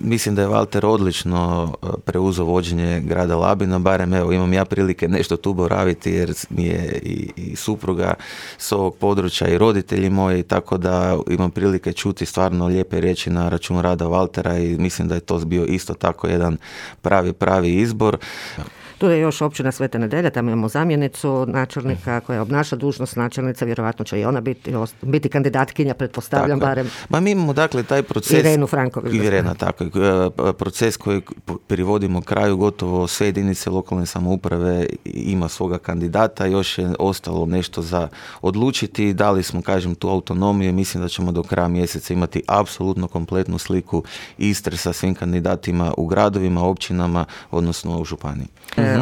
mislim da je Valter odlično preuzeo vođenje grada Labina, barem evo imam ja prilike nešto tu boraviti jer mi je i supruga s ovog područja i roditelji moji, tako da imam prilike čuti stvarno lijepe riječi na račun rada Valtera i mislim da je to bio isto tako jedan pravi izbor. Tu je još općina Sveta Nedelja, tamo imamo zamjenicu načelnika koja obnaša dužnost načelnice, vjerojatno će i ona biti kandidatkinja, pretpostavljam tako. Barem. Ma mi imamo dakle taj proces... Irenu Franković. Irena, tako. Proces koji privodimo kraju, gotovo sve jedinice lokalne samouprave ima svoga kandidata, još je ostalo nešto za odlučiti, dali smo, kažem, tu autonomiju i mislim da ćemo do kraja mjeseca imati apsolutno kompletnu sliku Istre sa svim kandidatima u gradovima, općinama, odnosno u županiji.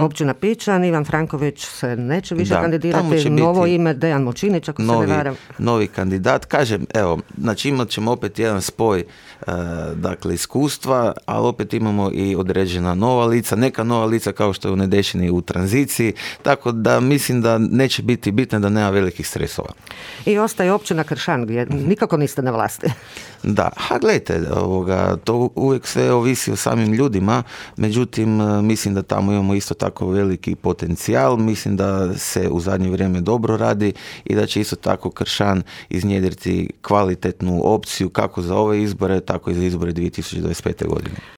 Općina Pičan, Ivan Franković se neće više kandidirati, novo ime Dejan Močinić, ako se ne varam. Novi kandidat, kažem, evo, znači imat ćemo opet jedan spoj dakle iskustva, ali opet imamo i određena nova lica, neka nova lica kao što je u Nedešini u tranziciji, tako da mislim da neće biti bitno da nema velikih stresova. I ostaje općina Kršan gdje nikako niste na vlasti. Da, gledajte, to uvijek sve ovisi o samim ljudima, međutim mislim da tamo imamo isto tako veliki potencijal, mislim da se u zadnje vrijeme dobro radi i da će isto tako Kršan iznjedriti kvalitetnu opciju kako za ove izbore, tako i za izbore 2025. godine.